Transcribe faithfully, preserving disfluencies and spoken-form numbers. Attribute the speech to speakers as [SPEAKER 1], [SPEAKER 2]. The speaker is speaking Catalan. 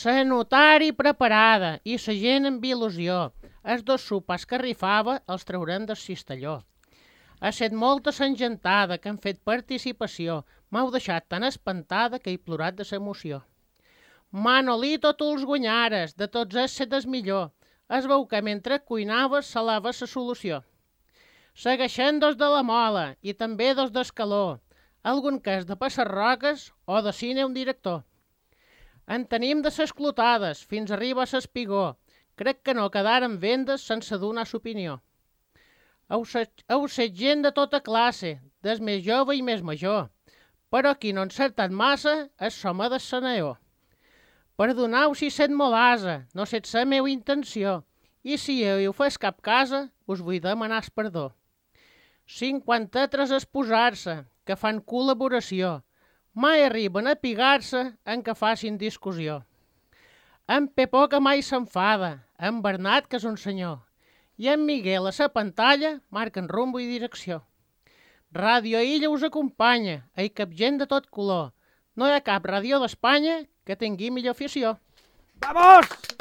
[SPEAKER 1] La notari preparada i la gent amb il·lusió. Els dos sopars que rifava els traurem del cistelló. Ha set molta s'engentada que han fet participació. M'heu deixat tan espantada que he plorat de l'emoció. Manolito, tu els guanyares, de tots ells set el millor. Es veu que mentre cuinaves salava la solució. Segueixen dos de la mola i també dos d'escaló. Algun cas de passarroques o de cine un director. En tenim de ses clotades, fins arriba a l'espigó. Crec que no quedaren vendes sense donar l'opinió. Heu set gent de tota classe, des més jove i més major, però qui no ha encertat massa és l'home del Seneor. Perdoneu si set molasa, no set la meva intenció, i si heu fet cap casa, us vull demanar el perdó. Cinquanta-tres esposar-se, que fan col·laboració, mai arriben a pigar-se en que facin discussió. En Pepó que mai s'enfada, en Bernat que és un senyor, i en Miguel a la pantalla marquen rumbo i direcció. Ràdio Illa us acompanya, hi cap gent de tot color. No hi ha cap ràdio d'Espanya que tingui millor afició.
[SPEAKER 2] Vamos!